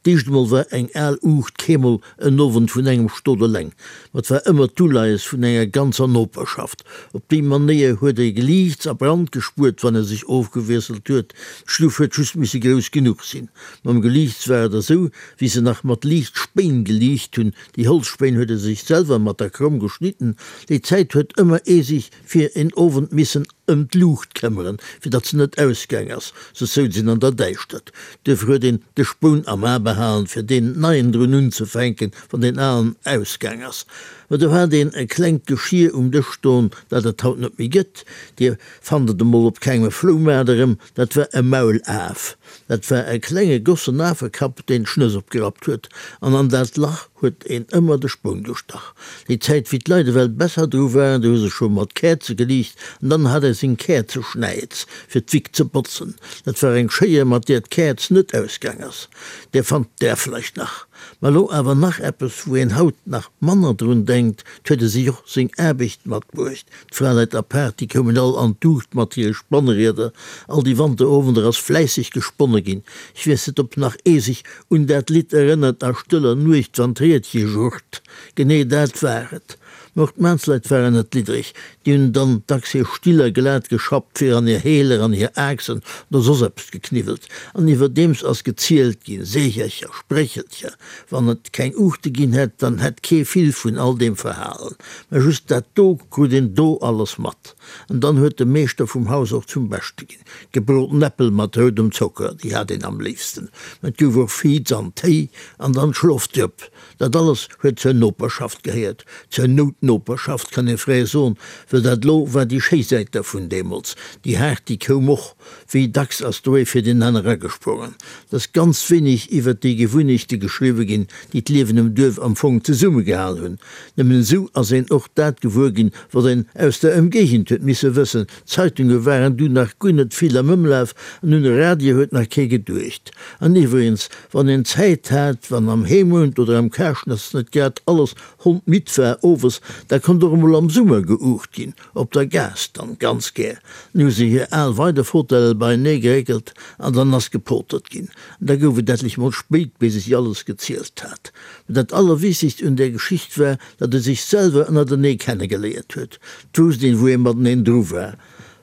D'éischt emol war eng al Uucht keemol en Owend vun engem Stot eleng, ma 't war ëmmer d'Uleies vun enger ganzer Noperschaft. Op déi Manéier huet e Geliichts a Brand gespuert, wann e sech ofgewiesselt huet. D'Stuff huet just misse grouss genuch sinn. Mam Geliichts war et esou, wéi se nach mat Liichtspéin geliicht hunn, déi Holzspéin huet e sech selwer mat der Kromm geschnidden. Déi Zäit huet ëmmer ee sech fir en Owend missen ëm d'Luucht këmmeren, fir datt se net ausgaang ass, soss souz een an der Däischtert. Duerfir huet een de Spoun am A behalen, fir deen neien drun unzefänken, wann deen alen ausgaang ass. Mä do hat een e klengt Geschir um Dësch stoen, dat et haut net méi gëtt, Dir fannt et emol op kengem Floumaart erëm, dat war e Maulaf. Dat war e klenge gossen Afekapp, deen d'Schnëss opgerappt huet, an an dat Lach huet een ëmmer de Spoun gestach. Déi Zäit, wéi d'Leit ewell besser dru waren, do hu se scho mat Käerze geliicht, an dann hat ee seng Käerzeschnäiz, fir d'Wick ze botzen. Dat war eng Schéier, mat deer d'Käerz net ausgaang ass. Där fannt Der vläicht nach. Mä elo awer nach eppes, wou een haut nach manner drun denkt, 't huet e sech och seng Aarbecht matbruecht. D'Fraleit apaart, déi koumen all an d'Uucht mat hire Spannrieder. All déi Wanterowender ass fläisseg gesponne ginn. Ech weess net, ob nach ee sech un dat Lidd erënnert, A stëller Nuecht, wann d'Riedche jurrt. Genee dat war et. Mä och d'Maansleit waren net liddereg. Déi hunn dann dacks hir Stiller glat geschrappt, fir an hir Heeler, an hir Aaxen oder soss eppes gekniwwelt. An iwwerdeems ass gezielt ginn, Seechercher, Spréchelcher. Wann et keng Uuchte ginn hätt, dann hätt kee vill vun all deem verhalen. Mä just dat do krut een do alles mat. An dann huet de Meeschter vum Haus och zum Beschte ginn. Gebroten Äppel mat roudem Zocker, déi hat een am léifsten. Mä et gouf och Viz an Téi an dann d'Schlofdrëpp. Dat alles huet zur Noperschaft gehéiert, zur Noutnoperschaft kann ee fräi soen, well dat lo war déi schéi Säit dervun deemools. Déi haart, déi koum och. Wéi dacks ass do ee fir deen aner agesprongen. Et ass ganz wéineg iwwert déi Gewunnechte geschriwwe ginn, déi d'Liewen um Duerf am Fong zesummegehal hunn. Nëmmen esou ass een och dat gewuer ginn, wat een aus der Ëmgéigend huet misse wëssen. D'Zeitunge waren du nach guer net vill am Ëmlaf an un e Radio huet nach kee geduecht. An iwwregens, wann een Zäit hat, wann am Heemount oder am Karschnatz net grad alles hondmidd war owes, da konnt och emol am Summer geuucht ginn. Op der Gaass dann, ganz gär. Dann hu se hir al Weidefauteuile beienee geréckelt an dann ass gepotert ginn. An da gouf et ettlech mol spéit, bis ech alles gezielt hat. Mä dat Allerwichtegst un där Geschicht war, datt ee sech selwer ënnertenee kennegeléiert huet. 't wousst een, wou ee mateneen dru war.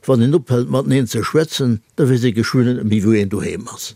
Wann een ophält mateneen ze schwätzen, da weess ee geschwënn net méi, wou een doheem ass.